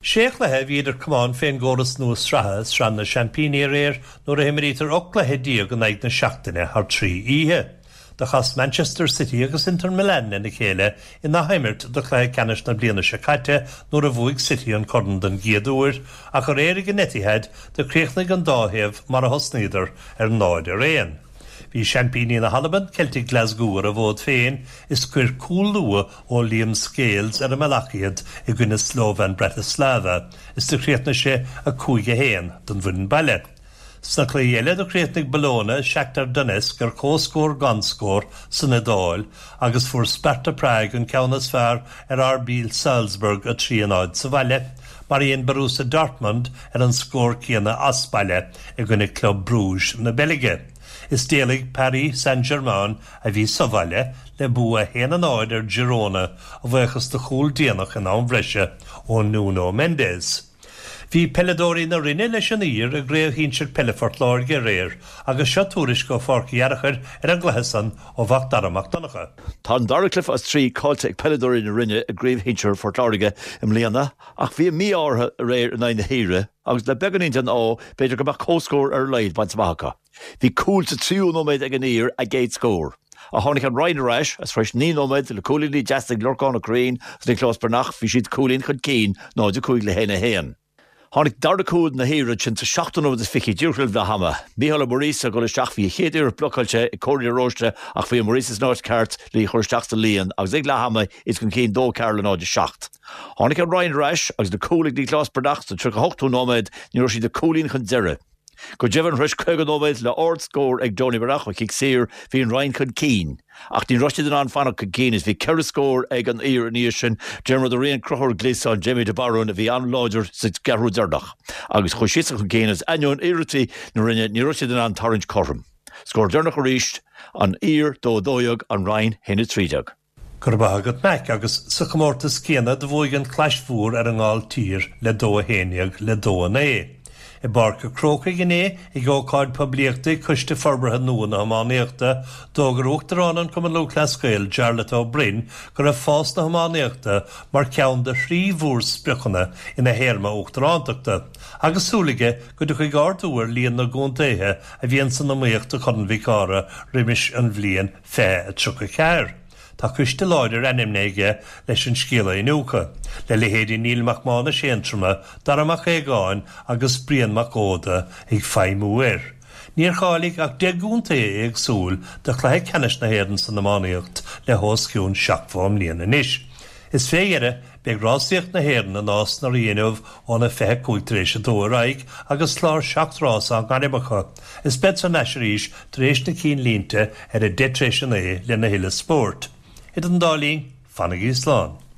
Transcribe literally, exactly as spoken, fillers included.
Sé chluiche a bhí idir camáin fén gcóras nua sraithe Sraith na Seaimpíní aréir nuair a himrítear ocht gcluiche déag in aghaidh na seachtaine thar trí oíche. Do chas Manchester City agus Inter Milan lena chéile in athimirt do chluiche ceannais na bliana seo caite nuair a bhuaigh City an corn den gcéad uair ach aréir ag an Etihad do chríochnaigh an dá thaobh mar a thosnaíodar ar náid ar aon. Bhí seaimpíní na hAlban Celtic Glasgow ar a bhfód féin is chuir cúl luath ó Liam Scales ar an mbealach iad i gcoinne Slovan Bratislava is do chríochnaigh sé a cúig a haon don bhfoireann baile. Sna cluichí eile do chríochnaigh Bologna Shakhtar Donetsk ar comhscór gan scór san Iodáil agus fuair Sparta Prague an ceann is fearr ar RB Salzburg a trí a náid sa bhaile, mar a dhein Borussia Dortmund ar an scór céanna as baile i gcoinne Club Bruges na Beilge. Is d'éalaigh Paris Saint-Germain a bhí sa bhaile le bua haon a náid ar Girona a bhuíochas do chúl déanach in am breise ó Nuno Mendes. Bhí peileadóirí na Rinne leis an Uidhir i gCraobh Shinsir Peile Phort Láirge aréir agus seo tuairisc ó Pháirc Uí Fhearchair ar an gcluiche san ó Mhac Dara Mac Donncha. Tá an dara cluiche as trí caillte ag peileadóirí na Rinne i gCraobh Shinsir Phort Láirge i mbliana ach bhí mí-ádh orthu aréir in aghaidh na hUidhre agus le beagáinín den ádh b'fhéidir go mbeadh comhscór ar a laghad bainte amach acu. Bhí cúl sa tríú nóiméad ag an Uidhir a gcéad scór. A tháinig an Rinn ar ais as tar éis naoi nóiméad le cúilíní deasa ag Lorcán Ó Curraoin agus Nioclás Breathnach bhí siad cúilín chun cinn náid a cúig le haon a haon. Tháinig dara cúl na hUidhre sin sa seachtú nóiméad is fiche díreach roimh leath ama. Mícheál Ó Muiríosa ag dul isteach bhí a chéad iarracht blocáilte ag Cóilín de Róiste ach bhí Muiríosa san áit ceart le chur isteach sa líon agus ag leath ama iad chun cinn dó ceathair le náid a seacht. Tháinig an Rinn ar ais agus na cúl ag Nioclás Breathnach sa tríocha hochtú nóiméad ní raibh siad ach cúilín chun deireadh. Go deimhin tar éis caoga nóiméad le hardscór ag Johnny Breathnach ó chic saor bhí an Rinn chun cinn. Ach ní raibh siad in ann fanacht chun cinn is bhí ceithre scór ag an Uidhir ina dhiaidh sin Diarmuid Ó Riain Conchúr Gleeson Jamie de Barún a bhí an-láidir sa gceathrú deireanach. Agus chuaigh siad chun cinn is ainneoin iarrachtaí na Rinne ní raibh siad in ann tarraingt cothrom. Scór deireanach arís an Uidhir dó dó dhéag an Rinn haon a trí déag. Go raibh maith agat Mac agus sa chomórtas céanna do bhuaigh an Chlais Mhór ar an nGailltír le dó a haon déag le dó a naoi. I bPáirc an Chrócaigh inné ag ócáid poiblíochta Coiste Forbartha nua na hiománaíochta, d'fhógair Uachtarán an Chumann Lúthchleas Gael Jarlath Ó Broin go raibh fás na hiománaíochta mar cheann de thrí mhórspriocanna ina théarma uachtarántachta, agus súil aige go dtiocfaidh ardú ar líon na gcontaetha a bhíonn san iomaíocht do Chorn Mhic Ádhaimh roimis an bhliain fiche tríocha ceathair. Tá coiste láidir ainmnithe aige leis an scéal a iniúchadh, le leithéidí Neil Mac Mánais Aontroma, Dara Mac Aogáin agus Brian Mac Óda ag feidhmiú air. Níor cháiligh ach deich gcontae éagsúil do chluiche ceannais na hÉireann san iománaíocht le hos cionn seachtó bliain anois. Is fé dheireadh beidh rásaíocht na hÉireann i Nás na Rí inniu óna fiche cúig tar éis a dó ar aghaidh agus clár seacht rás á ngairm acu. Is bead san ais arís tar éis na cinnlínte ar a deich tar éis a naoi lena thuilleadh spóirt. Idir an dá linn, fanaigí slán.